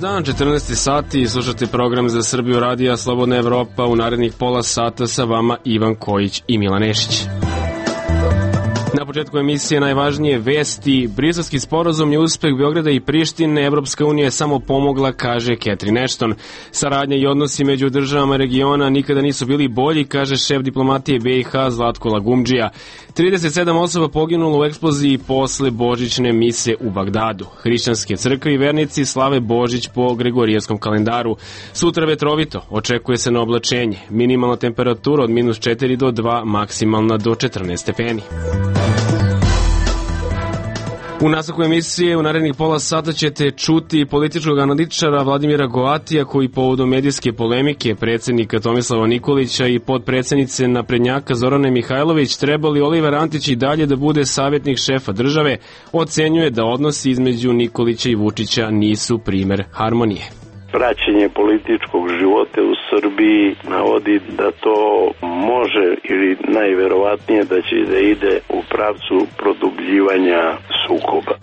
dan, 14. sati, slušate program za Srbiju radija Slobodna Evropa. U narednih pola sata sa vama Ivan Kojić i Milan Nešić. Na početku emisije najvažnije vesti. Briselski sporazum je uspeh Beograda i Prištine. Evropska unija je samo pomogla, kaže Catherine Ashton. Saradnja i odnosi među državama regiona nikada nisu bili bolji, kaže šef diplomatije BiH Zlatko Lagumdžija. 37 osoba poginulo u eksploziji posle božićne mise u Bagdadu. Hrišćanske crkve i vernici slave Božić po Gregorijanskom kalendaru. Sutra vetrovito, očekuje se na oblačenje. Minimalna temperatura od -4 do 2, maksimalna do 14 stepeni. U nastavku emisije u narednih pola sata ćete čuti političkog analitičara Vladimira Goatija koji povodom medijske polemike predsjednika Tomislava Nikolića i podpredsjednice naprednjaka Zorane Mihajlović treba li Oliver Antić i dalje da bude savjetnik šefa države, ocenjuje da odnosi između Nikolića i Vučića nisu primer harmonije. Praćenje političkog života u Srbiji navodi da to može ili najverovatnije da će da ide u pravcu produbljivanja sukoba.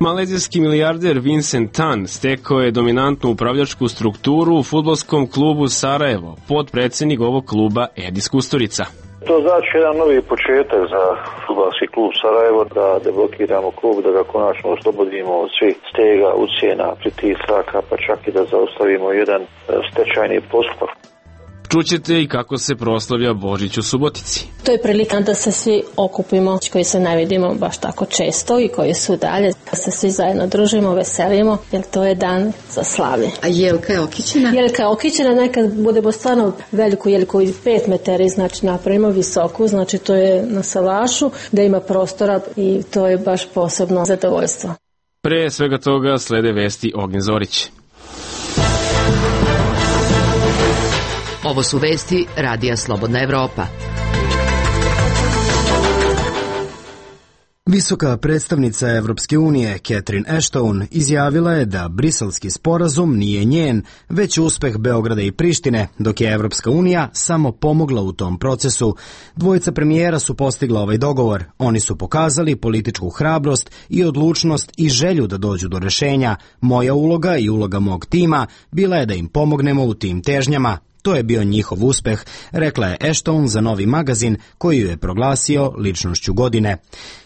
Malezijski milijarder Vincent Tan stekao je dominantnu upravljačku strukturu u fudbalskom klubu Sarajevo. Podpredsjednik ovog kluba Edis Kusturica. To znači jedan novi početak za fudbalski klub Sarajevo, da deblokiramo klub, da ga konačno oslobodimo od svih stega, ucjena, pritisaka, pa čak i da zaustavimo jedan stečajni postupak. Čućete i kako se proslavlja Božić u Subotici. To je prilika da se svi okupimo, koji se ne vidimo baš tako često i koji su dalje, da se svi zajedno družimo, veselimo, jer to je dan za slavlje. A jelka je okićena? Jelka je okićena, nekad budemo stvarno veliku jelku i 5 metara, znači napravimo visoku, znači to je na salašu, da ima prostora i to je baš posebno zadovoljstvo. Pre svega toga slede vesti Ognjen Zorić. Ovo su vesti Radija Slobodna Evropa. Visoka predstavnica Evropske unije Catherine Ashton izjavila je da briselski sporazum nije njen, već uspeh Beograda i Prištine, dok je Evropska unija samo pomogla u tom procesu. Dvojica premijera su postigla ovaj dogovor. Oni su pokazali političku hrabrost i odlučnost i želju da dođu do rešenja. Moja uloga i uloga mog tima bila je da im pomognemo u tim težnjama. To je bio njihov uspeh, rekla je Ashton za Novi magazin koji ju je proglasio ličnošću godine.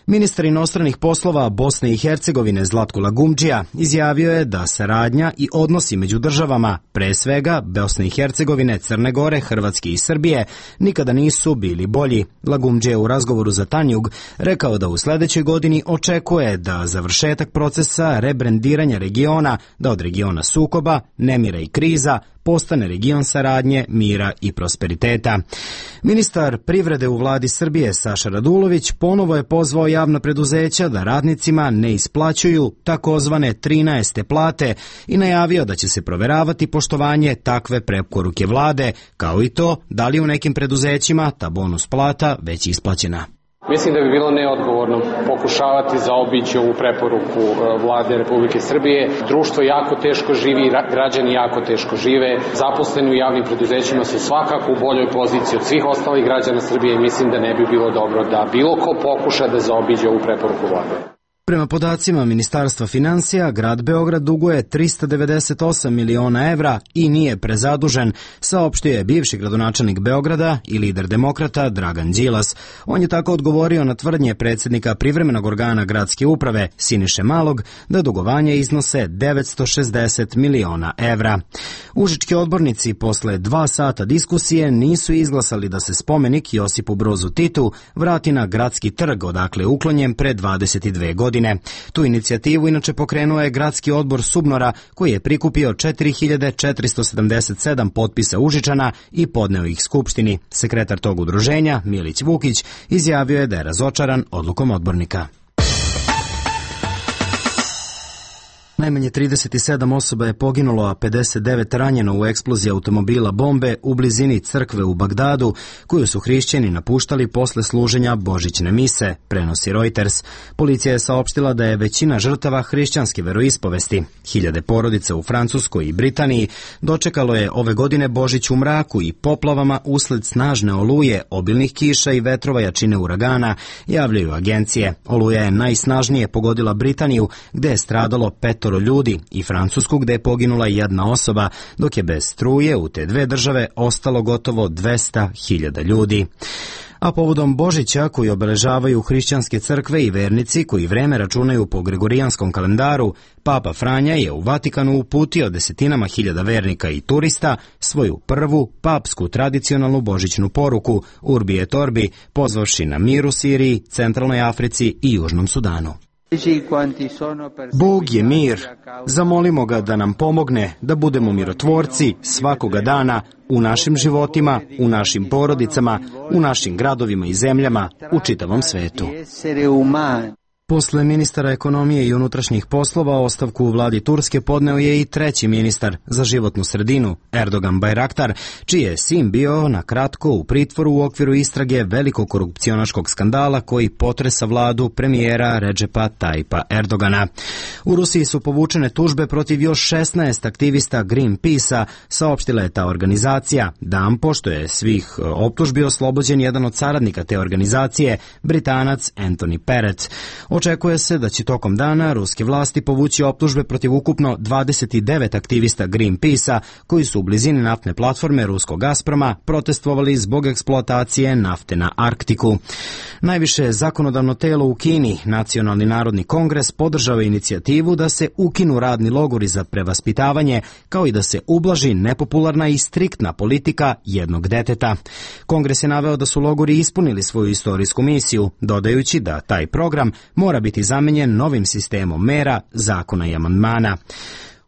Ministar inostranih poslova Bosne i Hercegovine Zlatko Lagumdžija izjavio je da saradnja i odnosi među državama, pre svega Bosne i Hercegovine, Crne Gore, Hrvatske i Srbije, nikada nisu bili bolji. Lagumdžija je u razgovoru za Tanjug rekao da u sledećoj godini očekuje da završetak procesa rebrendiranja regiona, da od regiona sukoba, nemira i kriza, postane region saradnje, mira i prosperiteta. Ministar privrede u vladi Srbije Saša Radulović ponovo je pozvao javna preduzeća da radnicima ne isplaćuju takozvane 13. plate i najavio da će se proveravati poštovanje takve preporuke vlade, kao i to da li u nekim preduzećima ta bonus plata već isplaćena. Mislim da bi bilo neodgovorno pokušavati zaobići ovu preporuku vlade Republike Srbije. Društvo jako teško živi, građani jako teško žive. Zaposleni u javnim preduzećima su svakako u boljoj poziciji od svih ostalih građana Srbije i mislim da ne bi bilo dobro da bilo ko pokuša da zaobiđe ovu preporuku vlade. Prema podacima Ministarstva finansija, grad Beograd duguje 398 miliona evra i nije prezadužen, saopštio je bivši gradonačelnik Beograda i lider demokrata Dragan Đilas. On je tako odgovorio na tvrdnje predsjednika privremenog organa gradske uprave Siniše Malog da dugovanje iznose 960 miliona evra. Užički odbornici posle 2 sata diskusije nisu izglasali da se spomenik Josipu Brozu Titu vrati na gradski trg, odakle je uklonjen pre 22 godine. Tu inicijativu inače pokrenuo je gradski odbor Subnora koji je prikupio 4477 potpisa Užičana i podneo ih Skupštini. Sekretar tog udruženja, Milić Vukić, izjavio je da je razočaran odlukom odbornika. Najmanje 37 osoba je poginulo, a 59 ranjeno u eksploziji automobila bombe u blizini crkve u Bagdadu, koju su hrišćani napuštali posle služenja božićne mise, prenosi Reuters. Policija je saopštila da je većina žrtava hrišćanske veroispovesti. Hiljade porodica u Francuskoj i Britaniji dočekalo je ove godine Božić u mraku i poplavama usled snažne oluje, obilnih kiša i vetrova jačine uragana, javljaju agencije. Oluja je najsnažnije pogodila Britaniju, gde je stradalo 5 5 ljudi i Francusku gde je poginula 1 osoba, dok je bez struje u te 2 države ostalo gotovo 200.000 ljudi. A povodom Božića, koji obeležavaju hrišćanske crkve i vernici koji vreme računaju po gregorijanskom kalendaru, Papa Franja je u Vatikanu uputio desetinama hiljada vernika i turista svoju prvu papsku tradicionalnu božićnu poruku Urbi et Orbi, pozvavši na mir u Siriji, Centralnoj Africi i Južnom Sudanu. Bog je mir. Zamolimo ga da nam pomogne da budemo mirotvorci svakoga dana u našim životima, u našim porodicama, u našim gradovima i zemljama, u čitavom svetu. Posle ministara ekonomije i unutrašnjih poslova ostavku u vladi Turske podneo je i 3. ministar za životnu sredinu, Erdogan Bayraktar, čiji je sin bio na kratko u pritvoru u okviru istrage velikog korupcionaškog skandala koji potresa vladu premijera Redžepa Tayyipa Erdogana. U Rusiji su povučene tužbe protiv još 16 aktivista Greenpeace-a, saopštila je ta organizacija. Dan pošto je svih optužbi oslobođen jedan od saradnika te organizacije, Britanac Anthony Perret. Očekuje se da će tokom dana ruske vlasti povući optužbe protiv ukupno 29 aktivista Greenpeace-a koji su u blizini naftne platforme ruskog Gazproma protestovali zbog eksploatacije nafte na Arktiku. Najviše zakonodavno telo u Kini, Nacionalni narodni kongres, podržava inicijativu da se ukinu radni logori za prevaspitavanje, kao i da se ublaži nepopularna i striktna politika jednog deteta. Kongres je naveo da su logori ispunili svoju istorijsku misiju, dodajući da taj program mora biti zamenjen novim sistemom mera, zakona i amandmana.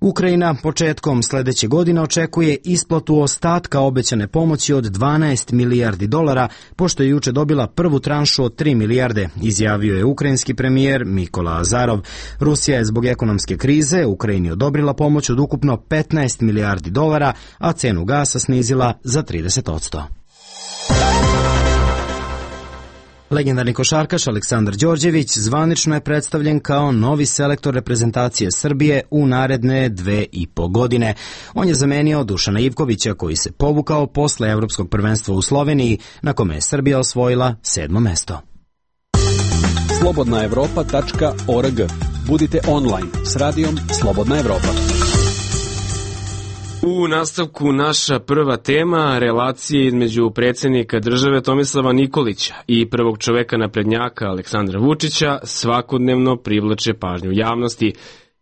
Ukrajina početkom sledeće godine očekuje isplatu ostatka obećane pomoći od 12 milijardi dolara, pošto je juče dobila prvu tranšu od 3 milijarde, izjavio je ukrajinski premijer Mikola Azarov. Rusija je zbog ekonomske krize Ukrajini odobrila pomoć od ukupno 15 milijardi dolara, a cenu gasa snizila za 30%. Legendarni košarkaš Aleksandar Đorđević zvanično je predstavljen kao novi selektor reprezentacije Srbije u naredne 2,5 godine. On je zamenio Dušana Ivkovića koji se povukao posle Evropskog prvenstva u Sloveniji, na kome je Srbija osvojila 7. mesto. Slobodnaevropa.org. Budite online s radijom Slobodna Evropa. U nastavku naša prva tema, relacije između predsjednika države Tomislava Nikolića i prvog čoveka naprednjaka Aleksandra Vučića svakodnevno privlače pažnju javnosti.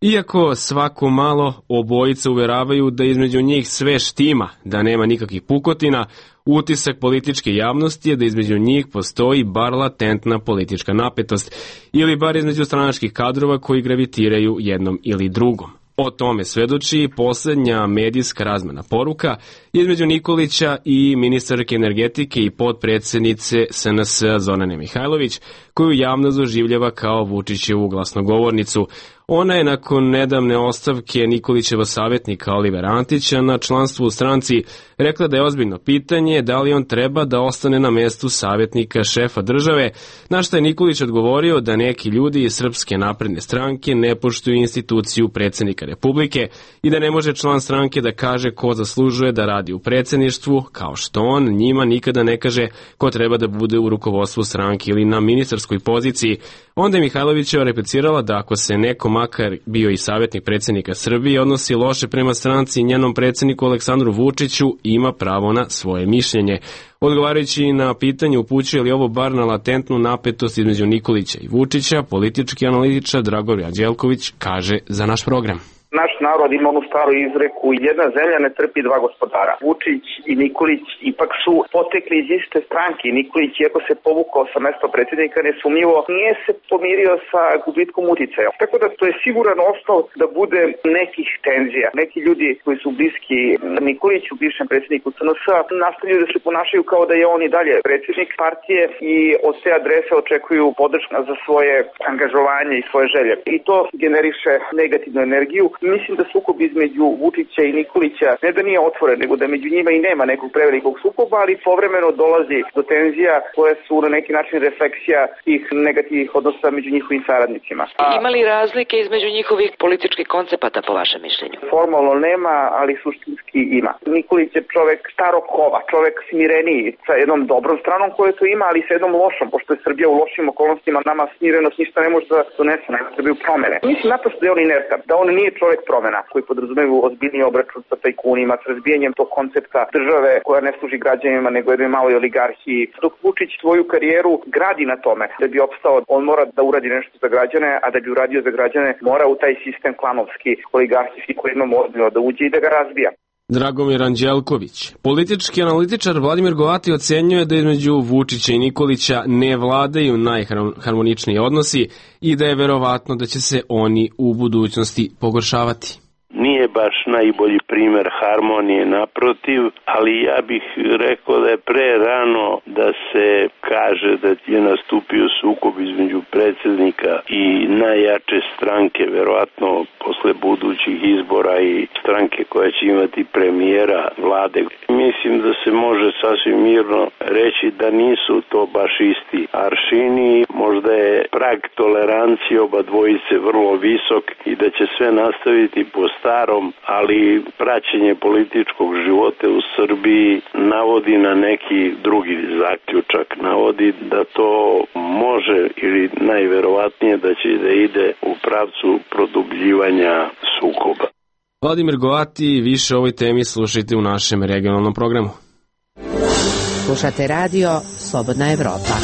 Iako svako malo obojica uveravaju da između njih sve štima, da nema nikakvih pukotina, utisak političke javnosti je da između njih postoji bar latentna politička napetost ili bar između stranačkih kadrova koji gravitiraju jednom ili drugom. O tome svedoči poslednja medijska razmena poruka između Nikolića i ministarke energetike i potpredsednice SNS Zorane Mihajlović, koju javnost doživljava kao Vučićevu glasnogovornicu. Ona je nakon nedavne ostavke Nikolićeva savjetnika Olivera Antića na članstvu u stranci rekla da je ozbiljno pitanje da li on treba da ostane na mestu savjetnika šefa države, na što je Nikolić odgovorio da neki ljudi iz Srpske napredne stranke ne poštuju instituciju predsjednika Republike i da ne može član stranke da kaže ko zaslužuje da radi u predsjedništvu, kao što on njima nikada ne kaže ko treba da bude u rukovodstvu stranke ili na ministarskoj poziciji. Onda je Mihajlovićeva replicirala da ako se neko makar bio i savjetnik predsjednika Srbije odnosi loše prema stranci i njenom predsjedniku Aleksandru Vučiću, ima pravo na svoje mišljenje. Odgovarajući na pitanje upućuje li ovo bar na latentnu napetost između Nikolića i Vučića, politički analitičar Dragomir Anđelković kaže za naš program. Naš narod ima onu staru izreku, jedna zemlja ne trpi dva gospodara. Vučić i Nikolić ipak su potekli iz iste stranke. Nikolić, iako se povukao sa mesta predsjednika, nesumnjivo nije se pomirio sa gubitkom uticaja. Tako da to je siguran osnov da bude nekih tenzija. Neki ljudi koji su bliski Nikoliću, bivšem predsjedniku SNS-a, nastavljaju da se ponašaju kao da je on i dalje predsjednik partije i od te adrese očekuju podršku za svoje angažovanje i svoje želje. I to generiše negativnu energiju. Mislim da sukob između Vučića i Nikolića ne da nije otvoren, nego da među njima i nema nekog prevelikog sukoba, ali povremeno dolazi do tenzija koje su na neki način refleksija tih negativnih odnosa među njihovim saradnicima. Ima li razlike između njihovih političkih koncepata po vašem mišljenju? Formalno nema, ali suštinski ima. Nikolić je čovek starog kova, čovek smireniji, sa jednom dobrom stranom koje to ima, ali sa jednom lošom, pošto je Srbija u lošim okolnostima, nama smirenost ništa ne može da donese, nema Srbiju promene. Mislim naprosto da je on inertan, da on nije čovek promena koji podrazumeva ozbiljniji obračun sa tajkunima, s razbijanjem tog koncepta države koja ne služi građanima nego jednoj maloj oligarhiji. Dok Vučić svoju karijeru gradi na tome, da bi opstao, on mora da uradi nešto za građane, a da bi uradio za građane mora u taj sistem klanovski, oligarhijski koji imamo ozbiljno da uđe i da ga razbija. Dragomir Anđelković. Politički analitičar Vladimir Govati ocenjuje da između Vučića i Nikolića ne vladaju najharmoničniji odnosi i da je verovatno da će se oni u budućnosti pogoršavati. Nije baš najbolji primer harmonije, naprotiv, ali ja bih rekao da je pre rano da se kaže da je nastupio sukob između predsjednika i najjače stranke, verovatno posle budućih izbora i stranke koja će imati premijera vlade. Mislim da se može sasvim mirno reći da nisu to baš isti aršini, možda je prag tolerancije oba dvojice vrlo visok i da će sve nastaviti po starom, ali praćenje političkog života u Srbiji navodi na neki drugi zaključak. Navodi da to može ili najverovatnije da će da ide u pravcu produbljivanja sukoba. Vladimir Govati, više o ovoj temi slušajte u našem regionalnom programu. Slušate radio Slobodna Evropa.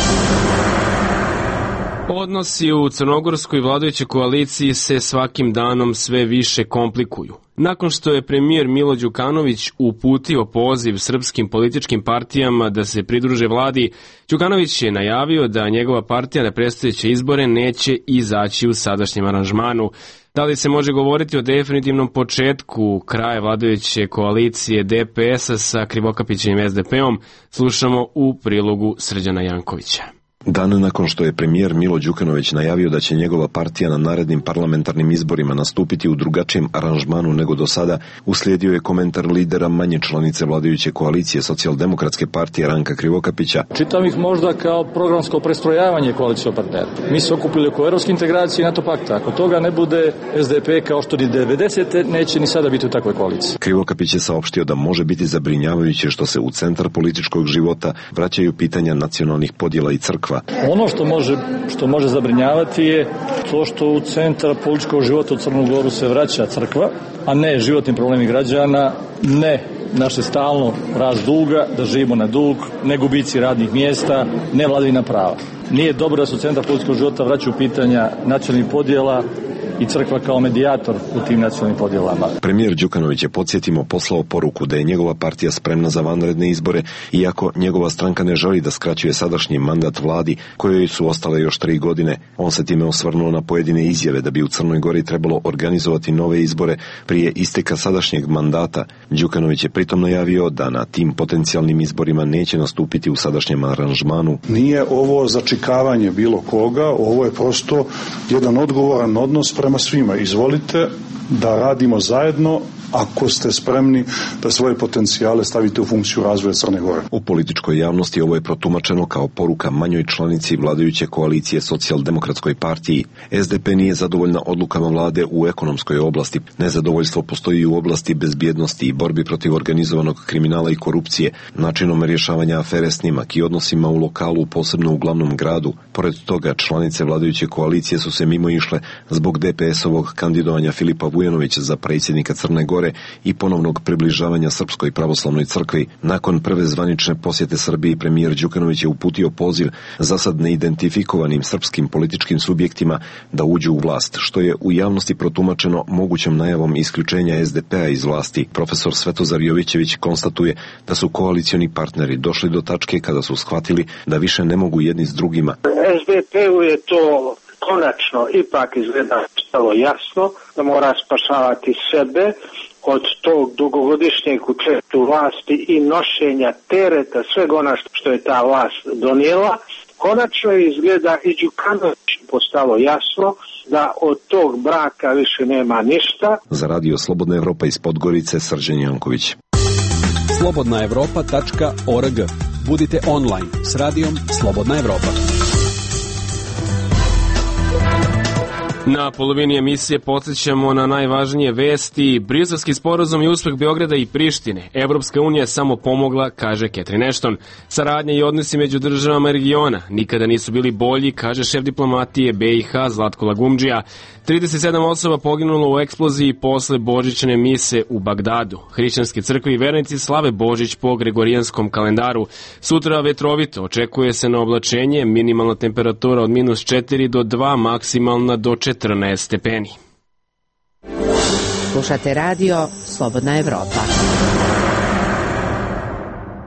Odnosi u crnogorskoj vladajućoj koaliciji se svakim danom sve više komplikuju. Nakon što je premijer Milo Đukanović uputio poziv srpskim političkim partijama da se pridruže vladi, Đukanović je najavio da njegova partija na predstojeće izbore neće izaći u sadašnjem aranžmanu. Da li se može govoriti o definitivnom početku kraja vladajuće koalicije DPS-a sa Krivokapićevim SDP-om, slušamo u prilogu Srđana Jankovića. Dan nakon što je premijer Milo Đukanović najavio da će njegova partija na narednim parlamentarnim izborima nastupiti u drugačijem aranžmanu nego do sada, uslijedio je komentar lidera manje članice vladajuće koalicije Socijaldemokratske partije Ranka Krivokapića. Čitam ih možda kao programsko prestrojavanje koalicijskog partnera. Mi se okupili oko evropske integracije i NATO pakta. Ako toga ne bude, SDP kao što ni 90. neće ni sada biti u takvoj koaliciji. Krivokapić je saopštio da može biti zabrinjavajuće što se u centar političkog života vraćaju pitanja nacionalnih podjela i crkva. Ono što može zabrinjavati je to što u centar političkog života u Crnu Goru se vraća crkva, a ne životni problemi građana, ne naše stalno rast duga, da živimo na dug, ne gubici radnih mjesta, ne vladavina prava. Nije dobro da se u centar političkog života vraćaju pitanja nacionalnih podjela i crkva kao medijator u tim nacionalnim podjelama. Premijer Đukanović je, podsjetimo, poslao poruku da je njegova partija spremna za vanredne izbore, iako njegova stranka ne želi da skraćuje sadašnji mandat vladi kojoj su ostale još 3 godine. On se time osvrnuo na pojedine izjave da bi u Crnoj Gori trebalo organizovati nove izbore prije isteka sadašnjeg mandata. Đukanović je pritom najavio da na tim potencijalnim izborima neće nastupiti u sadašnjem aranžmanu. Nije ovo začikavanje bilo koga, ovo je prosto jedan odgovoran odnos prema svima. Izvolite da radimo zajedno ako ste spremni da svoje potencijale stavite u funkciju razvoja Crne Gore. U političkoj javnosti ovo je protumačeno kao poruka manjoj članici vladajuće koalicije Socijaldemokratskoj partiji. SDP nije zadovoljna odlukama vlade u ekonomskoj oblasti. Nezadovoljstvo postoji u oblasti bezbjednosti i borbi protiv organizovanog kriminala i korupcije, načinom rješavanja afere Snimak i odnosima u lokalu, posebno u glavnom gradu. Pored toga, članice vladajuće koalicije su se mimo išle zbog DPS-ovog kandidovanja Filipa Vujanovića za predsjednika Crne Gore i ponovnog približavanja Srpskoj pravoslavnoj crkvi. Nakon prve zvanične posjete Srbiji, premijer Đukanović je uputio poziv za sad neidentifikovanim srpskim političkim subjektima da uđu u vlast, što je u javnosti protumačeno mogućom najavom isključenja SDP-a iz vlasti. Profesor Svetozar Jovićević konstatuje da su koalicioni partneri došli do tačke kada su shvatili da više ne mogu jedni s drugima. SDP-u je to konačno ipak izgleda stalo jasno da mora spašavati sebe od tog dugogodišnjeg učešća u vlasti i nošenja tereta svega ona što je ta vlast donijela. Konačno izgleda i Đukanović postalo jasno da od tog braka više nema ništa. Za Radio Slobodna Evropa iz Podgorice, Srđan Janković. slobodnaevropa.org. Budite online s radijom Slobodna Evropa. Na polovini emisije podsjećamo na najvažnije vesti. Briselski sporazum i uspeh Beograda i Prištine. Evropska unija je samo pomogla, kaže Catherine Ashton. Saradnja i odnosi među državama regiona nikada nisu bili bolji, kaže šef diplomatije BiH Zlatko Lagumdžija. 37 osoba poginulo u eksploziji posle božićne mise u Bagdadu. Hrišćanske crkve i vernici slave Božić po gregorijanskom kalendaru. Sutra vetrovito, očekuje se na oblačenje, minimalna temperatura od -4 do 2, maksimalna do 14 stepeni. Slušate radio Slobodna Evropa.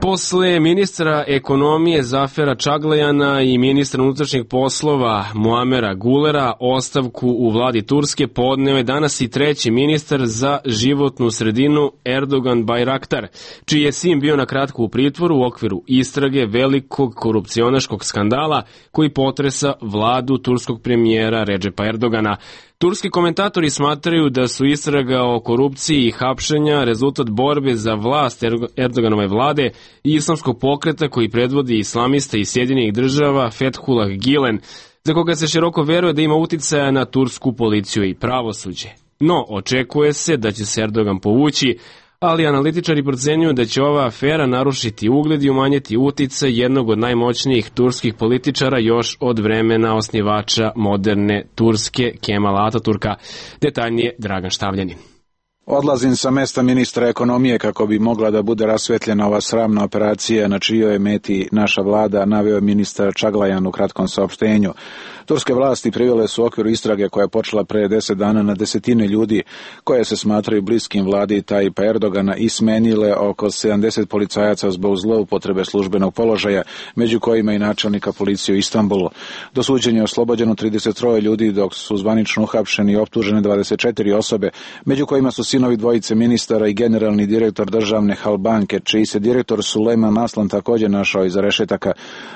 Posle ministra ekonomije Zafera Čaglajana i ministra unutrašnjih poslova Muamera Gulera ostavku u vladi Turske podneo je danas i treći ministar za životnu sredinu Erdogan Bayraktar, čiji je sin bio na kratko u pritvoru u okviru istrage velikog korupcionaškog skandala koji potresa vladu turskog premijera Redžepa Erdogana. Turski komentatori smatraju da su istraga o korupciji i hapšenja rezultat borbe za vlast Erdoganove vlade i islamskog pokreta koji predvodi islamista iz Sjedinjenih država Fethullah Gülen, za koga se široko veruje da ima uticaja na tursku policiju i pravosuđe. No, očekuje se da će se Erdogan povući, ali analitičari procenjuju da će ova afera narušiti ugled i umanjiti uticaj jednog od najmoćnijih turskih političara još od vremena osnivača moderne Turske Kemala Ataturka. Detaljnije Dragan Štavljanin. Odlazim sa mesta ministra ekonomije kako bi mogla da bude rasvetljena ova sramna operacija na čijoj je meti naša vlada, naveo je ministar Čaglajan u kratkom saopštenju. Turske vlasti privele su u okviru istrage koja je počela pre 10 dana na desetine ljudi koje se smatraju bliskim vladi Tajipa Erdogana i smenile oko 70 policajaca zbog zloupotrebe službenog položaja, među kojima i načelnika policije u Istanbulu. Do suđenja je oslobođeno 33 ljudi, dok su zvanično uhapšeni i optužene 24 osobe, među kojima su sinovi dvojice ministara i generalni direktor državne Halbanke, čiji se direktor Sulejman Aslan također našao iza rešetaka.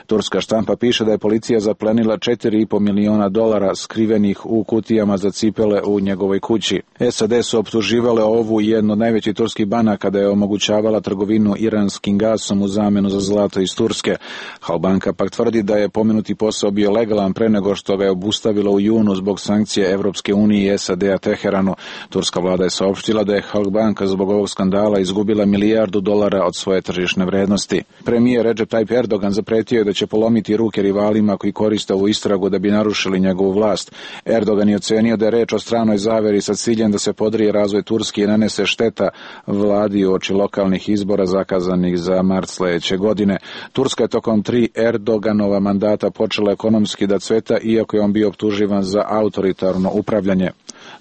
Turska štampa piše da je policija zaplenila 4,5 miliona dolara skrivenih u kutijama za cipele u njegovoj kući. SAD su optuživale ovu jednu od najvećih turskih banaka da je omogućavala trgovinu iranskim gasom u zamenu za zlato iz Turske. Halbanka pak tvrdi da je pomenuti posao bio legalan pre nego što ga je obustavilo u junu zbog sankcije Evropske unije i SAD-a Teheranu. Turska vlada je saopštila da je Halbanka zbog ovog skandala izgubila $1 milijardu od svoje tržišne vrednosti. Premijer Recep Tayyip Erdogan zapretio je da će polomiti ruke rivalima koji koriste ovu istragu da bi narušili njegovu vlast. Erdogan je ocenio da je reč o stranoj zaveri sa ciljem da se podrije razvoj Turske i nanese šteta vladi uoči lokalnih izbora zakazanih za mart sledeće godine. Turska je tokom 3 Erdoganova mandata počela ekonomski da cveta, iako je on bio optuživan za autoritarno upravljanje.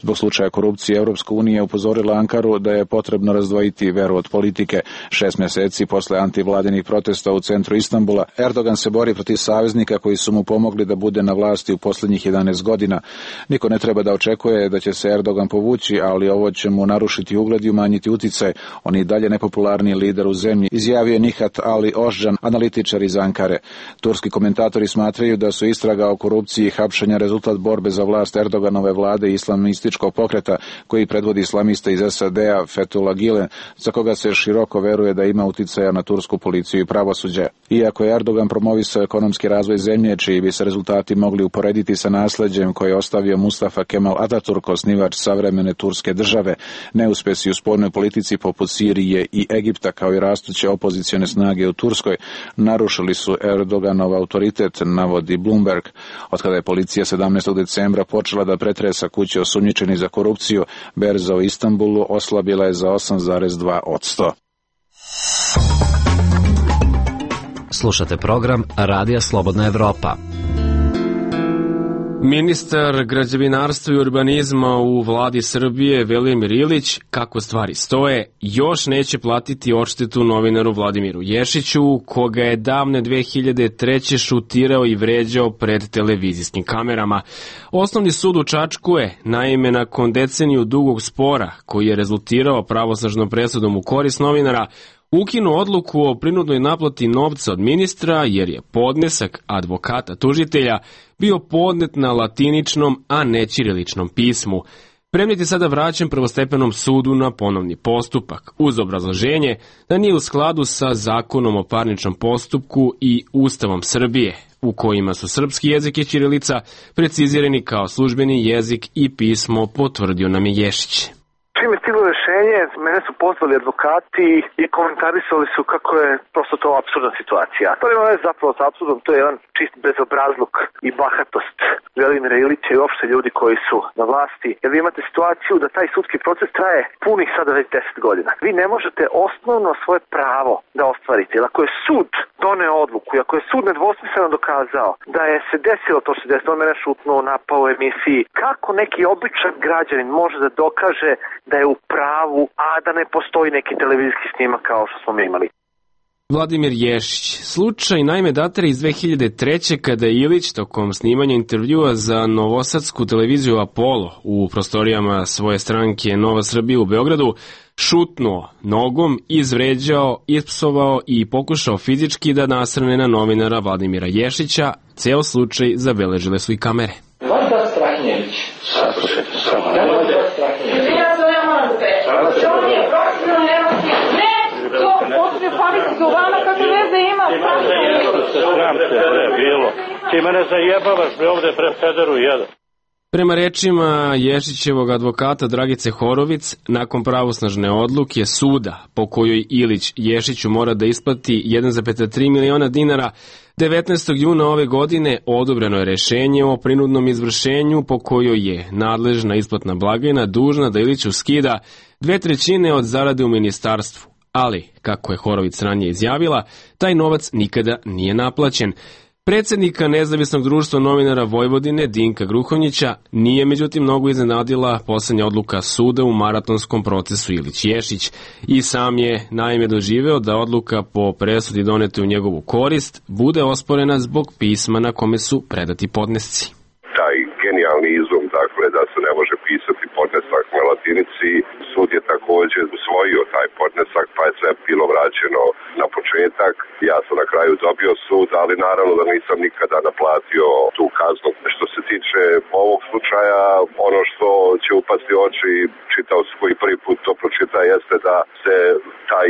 Zbog slučaja korupcije Evropska unija je upozorila Ankaru da je potrebno razdvojiti veru od politike. 6 mjeseci posle antivladinih protesta u centru Istanbula, Erdogan se bori protiv saveznika koji su mu pomogli da bude na vlasti u posljednjih 11 godina. Niko ne treba da očekuje da će se Erdogan povući, ali ovo će mu narušiti ugled i umanjiti uticaj. On je i dalje najpopularniji lider u zemlji, izjavio je Nihat Ali Ožđan, analitičar iz Ankare. Turski komentatori smatraju da su istraga o korupciji i hapšenja rezultat borbe za vlast Erdoganove vlade i islamističkog pokreta koji predvodi islamista iz SAD-a Fethullah Gülen, za koga se široko veruje da ima uticaja na tursku policiju i pravosuđe. Iako je Erdogan promovisao ekonomski razvoj zemlje, čiji bi se rezultati mogli uporediti sa nasleđem koje je ostavio Mustafa Kemal Ataturk, osnivač savremene turske države, neuspesi u spoljnoj politici poput Sirije i Egipta, kao i rastuće opozicione snage u Turskoj, narušili su Erdoganov autoritet, navodi Bloomberg. Otkada je policija 17. decembra počela da pretresa kuće osumnjičenih za korupciju, berza u Istanbulu oslabila je za 8,2%. Slušate program Radija Slobodna Evropa. Ministar građevinarstva i urbanizma u vladi Srbije Velimir Ilić, kako stvari stoje, još neće platiti odštetu novinaru Vladimiru Ješiću, koga je davne 2003. šutirao i vređao pred televizijskim kamerama. Osnovni sud u Čačku je, naime, nakon deceniju dugog spora, koji je rezultirao pravosnažnom presudom u korist novinara, ukinuo odluku o prinudnoj naplati novca od ministra jer je podnesak advokata tužitelja bio podnet na latiničnom, a ne ćiriličnom pismu. Predmet je sada vraćen prvostepenom sudu na ponovni postupak, uz obrazloženje da nije u skladu sa Zakonom o parničnom postupku i Ustavom Srbije, u kojima su srpski jezik i ćirilica precizirani kao službeni jezik i pismo, potvrdio nam je Ješić. Čim je stiglo rešenje, mene su pozvali advokati i komentarisali su kako je prosto to apsurdna situacija. To nema veze zapravo s apsurdom, to je jedan čist bezobrazluk i bahatost Velimira Ilića i uopšte ljudi koji su na vlasti. Jer vi imate situaciju da taj sudski proces traje punih sada već 10 godina. Vi ne možete osnovno svoje pravo da ostvarite. Jer ako je sud doneo odluku i ako je sud nedvosmisleno dokazao da je se desilo to što se desilo, on mene šutnuo, napao u emisiji, kako neki običan građanin može da dokaže da je u pravu, a da ne postoji neki televizijski snimak kao što smo mi imali. Vladimir Ješić. Slučaj naime datira iz 2003. kada je Ilić tokom snimanja intervjua za novosadsku televiziju Apollo u prostorijama svoje stranke Nova Srbija u Beogradu šutnuo nogom, izvređao, ispsovao i pokušao fizički da nasrne na novinara Vladimira Ješića. Ceo slučaj zabeležile su i kamere. Vanda Strahnjević. Ti mene zajebavaš bre ovde pre pederu jedan. Prema rečima Ješićevog advokata Dragice Horovic, nakon pravosnažne odluke suda po kojoj Ilić Ješiću mora da isplati 1,3 miliona dinara, 19. juna ove godine odobreno je rešenje o prinudnom izvršenju po kojoj je nadležna isplatna blagajna dužna da Iliću skida 2/3 od zarade u ministarstvu. Ali, kako je Horovic ranije izjavila, taj novac nikada nije naplaćen. Predsednika Nezavisnog društva novinara Vojvodine Dinka Gruhonjića nije međutim mnogo iznenadila poslednja odluka suda u maratonskom procesu Ilić-Ješić i sam je naime doživeo da odluka po presudi donete u njegovu korist bude osporena zbog pisma na kome su predati podnesci. Taj genijalni izum, dakle, da se ne može pisati podnesak na latinici, sud je takođe usvojio taj podnesak, pa je sve bilo vraćeno na početak. Ja sam na kraju dobio sud, ali naravno da nisam nikada naplatio tu kaznu. Što se tiče ovog slučaja, ono što će upasti u oči čitaoc koji prvi put to pročita jeste da se taj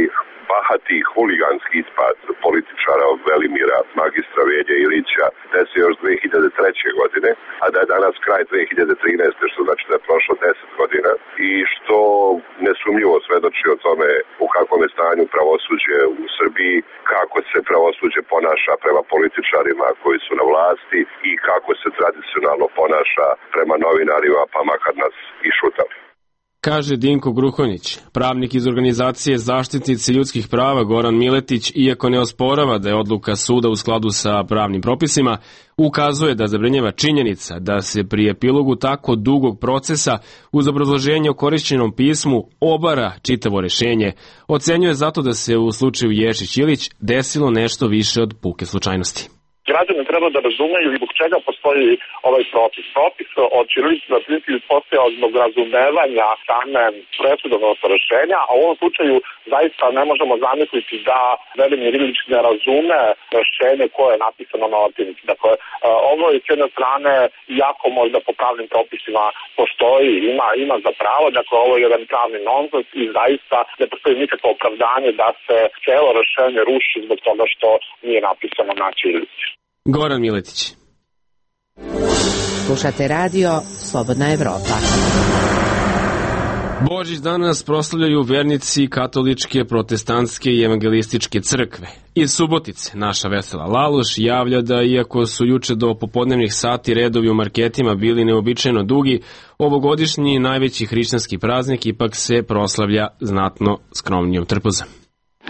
bahati huliganski ispad političara Velimira magistra Velje Ilića desio još 2003. godine, a da je danas kraj 2013. što znači da je prošlo 10 godina i što nesumnjivo svedoči o tome u kakvom je stanju pravosuđe u Srbiji, kako se pravosuđe ponaša prema političarima koji su na vlasti i kako se tradicionalno ponaša prema novinarima, pa makar nas i šutali. Kaže Dinko Gruhonjić, pravnik iz organizacije Zaštitnici ljudskih prava Goran Miletić, iako ne osporava da je odluka suda u skladu sa pravnim propisima, ukazuje da zabrinjava činjenica da se pri epilogu tako dugog procesa uz obrazloženje o korišćenom pismu obara čitavo rešenje. Ocenjuje zato da se u slučaju Ješić-Ilić desilo nešto više od puke slučajnosti. Građani treba da razumeju zbog čega postoji ovaj propis. Propis od ćirilice na latinici postojao zbog razumevanja same presudovnog rešenja, a u ovom slučaju zaista ne možemo zamisliti da Velimir Ilić ne razume rešenje koje je napisano na latinici. Dakle, ovo je s jedne strane jako možda po pravnim propisima postoji, ima za pravo, dakle ovo je jedan pravni nonsens i zaista ne postoji nikakvo opravdanje da se celo rešenje ruši zbog toga što nije napisano na ćirilici. Goran Miletić. Slušate radio Slobodna Evropa. Božić danas proslavljaju vernici katoličke, protestantske i evangelističke crkve. Iz Subotice naša Vesela Laloš javlja da iako su juče do popodnevnih sati redovi u marketima bili neobičajno dugi, ovogodišnji najveći hrišćanski praznik ipak se proslavlja znatno skromnijom trpezom.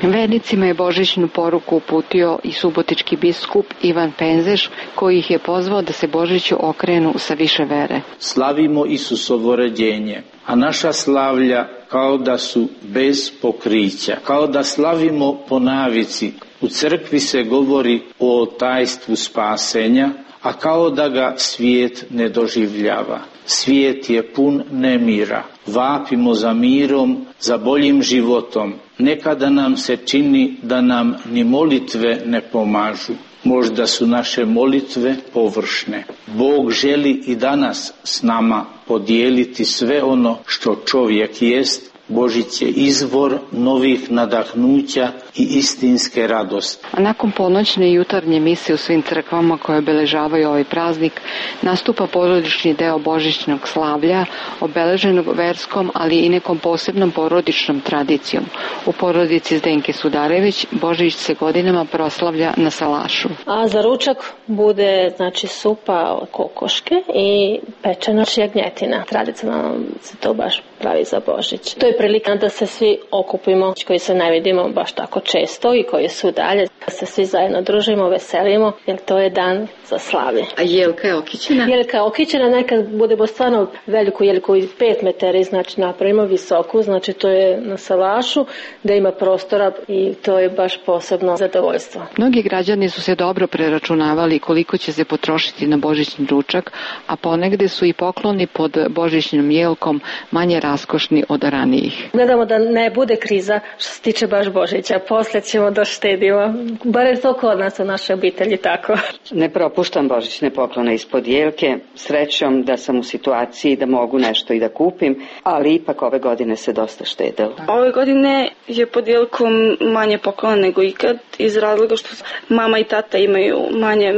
Vernicima je božićnu poruku uputio i subotički biskup Ivan Penzeš, koji ih je pozvao da se Božiću okrenu sa više vere. Slavimo Isusovo rođenje, a naša slavlja kao da su bez pokrića, kao da slavimo po navici. U crkvi se govori o tajstvu spasenja, a kao da ga svijet ne doživljava. Svijet je pun nemira. Vapimo za mirom, za boljim životom. Nekada nam se čini da nam ni molitve ne pomažu. Možda su naše molitve površne. Bog želi i danas s nama podijeliti sve ono što čovjek jest. Božić je izvor novih nadahnuća i istinske radosti. A nakon ponoćne i jutarnje mise u svim crkvama koje obeležavaju ovaj praznik, nastupa porodični deo božićnog slavlja, obeleženog verskom, ali i nekom posebnom porodičnom tradicijom. U porodici Zdenke Sudarević Božić se godinama proslavlja na salašu. A za ručak bude supa od kokoške i pečena jagnjetina. Tradicionalno se to baš pravi za Božić. To je prilika da se svi okupimo, koji se ne vidimo baš tako često i koji su dalje, da se svi zajedno družimo, veselimo, jer to je dan za slavlje. A jelka je okićena? Jelka je okićena, nekad budemo stvarno veliku jelku i 5 metara, napravimo visoku, to je na salašu, da ima prostora i to je baš posebno zadovoljstvo. Mnogi građani su se dobro preračunavali koliko će se potrošiti na božićni ručak, a ponegde su i pokloni pod božićnom jelkom manje raskošni od ranijih. Gledamo da ne bude kriza što se tiče baš Božića, posle ćemo da štedimo, bar je to kod nas u našoj obitelji tako. Ne propuštam božićne poklone ispod jelke, srećom da sam u situaciji da mogu nešto i da kupim, ali ipak ove godine se dosta štedelo. Ove godine je pod jelkom manje poklona nego ikad, iz razloga što mama i tata imaju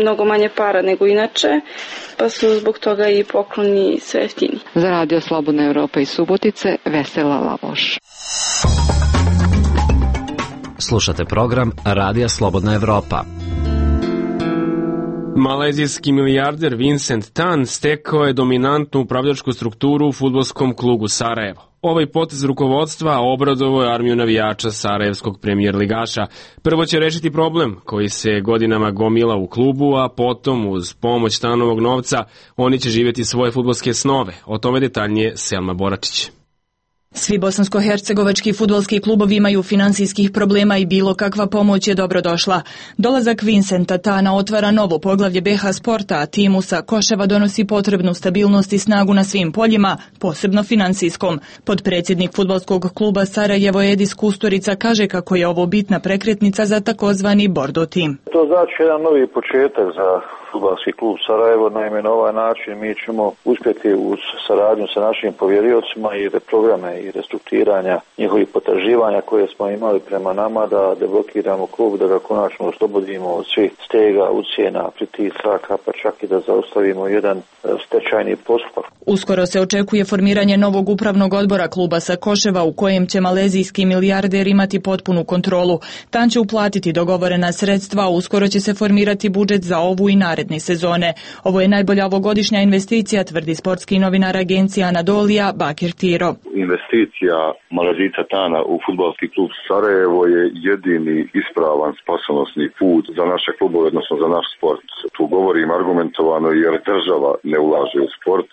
mnogo manje para nego inače, pa su zbog toga i pokloni sve jeftini. Za Radio Slobodna Evropa iz Subotice, Vesela Lavoš. Slušate program Radija Slobodna Evropa. Malezijski milijarder Vincent Tan stekao je dominantnu upravljačku strukturu u fudbalskom klubu Sarajevo. Ovaj potez rukovodstva obradovao je armiju navijača sarajevskog premijer ligaša. Prvo će rešiti problem koji se godinama gomila u klubu, a potom uz pomoć Tanovog novca oni će živjeti svoje fudbalske snove. O tome detaljnije Selma Boračić. Svi bosansko-hercegovački fudbalski klubovi imaju finansijskih problema i bilo kakva pomoć je dobrodošla. Dolazak Vincenta Tana otvara novo poglavlje BH Sporta, a timu sa Koševa donosi potrebnu stabilnost i snagu na svim poljima, posebno finansijskom. Podpredsjednik fudbalskog kluba Sarajevo Edis Kusturica kaže kako je ovo bitna prekretnica za takozvani Bordo tim. To znači jedan novi početak za fudbalski klub Sarajevo. Naime, na ovaj način mi ćemo uspjeti uz saradnju sa našim povjeriocima i programe i restrukturiranja njihovih potraživanja koje smo imali prema nama da deblokiramo klub, da ga konačno oslobodimo od svih stega, ucjena, pritisaka, pa čak i da zaustavimo jedan stečajni postupak. Uskoro se očekuje formiranje novog upravnog odbora kluba sa Koševa u kojem će malezijski milijarder imati potpunu kontrolu. Tan će uplatiti dogovorena sredstva, a uskoro će se formirati budžet za ovu i naredne sezone. Ovo je najbolja ovogodišnja investicija, tvrdi sportski novinar agencija Anadolija Bakir Tiro. Investicija Malezijca Tana u fudbalski klub Sarajevo je jedini ispravan spasonosni put za naše klubove, odnosno za naš sport. Tu govorim argumentovano jer država ne ulaže u sport,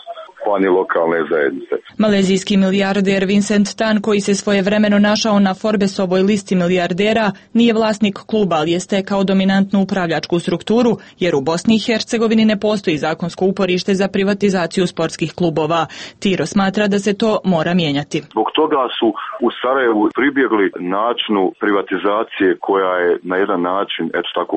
pa ni lokalne zajednice. Malezijski milijarder Vincent Tan, koji se svojevremeno našao na Forbesovoj listi milijardera, nije vlasnik kluba, ali je stekao dominantnu upravljačku strukturu, jer u Bosni i Hercegovini ne postoji zakonsko uporište za privatizaciju sportskih klubova. Tiro smatra da se to mora mijenjati. Zbog toga su u Sarajevu pribjegli načinu privatizacije koja je na jedan način, eto tako,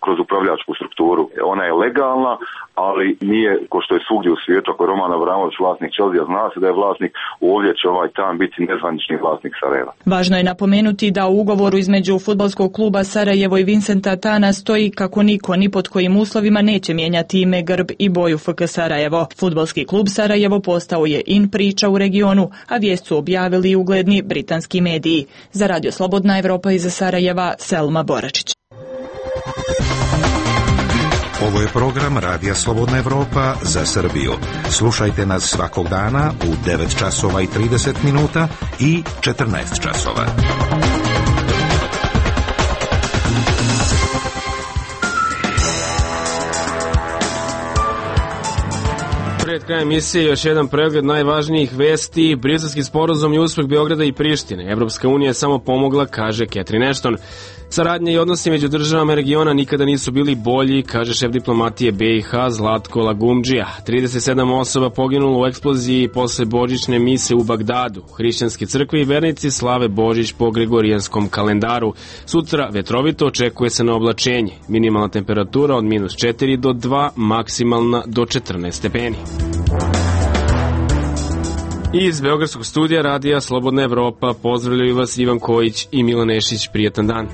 kroz upravljačku strukturu. Ona je legalna, ali nije, ko što je svugdje u svijetu, ako je Roman Abramović vlasnik Chelsea, zna se da je vlasnik, ovdje će ovaj Tan biti nezvanični vlasnik Sarajeva. Važno je napomenuti da u ugovoru između fudbalskog kluba Sarajevo i Vincenta Tana stoji kako niko ni pod kojim uslovima neće mijenjati ime, grb i boju FK Sarajevo. Fudbalski klub Sarajevo postao je in priča u regionu, a vijest su objavili ugledni britanski mediji. Za Radio Slobodna Evropa iz Sarajeva, Selma Boračić. Ovo je program Radija Slobodna Evropa za Srbiju. Slušajte nas svakog dana u 9 časova i 30 minuta i 14 časova. Pre Pred krajem emisije još jedan pregled najvažnijih vesti. Briselski sporazum i uspeh Beograda i Prištine. Evropska unija je samo pomogla, kaže Catherine Ashton. Saradnja i odnosi među državama regiona nikada nisu bili bolji, kaže šef diplomatije BiH Zlatko Lagumdžija. 37 osoba poginulo u eksploziji posle božićne mise u Bagdadu. Hrišćanske crkve i vernici slave Božić po gregorijanskom kalendaru. Sutra vetrovito, očekuje se na oblačenje. Minimalna temperatura od -4 do 2, maksimalna do 14 stepeni. Iz Beogradskog studija radija Slobodna Evropa pozdravljaju vas Ivan Kojić i Milan Nešić. Prijatan dan.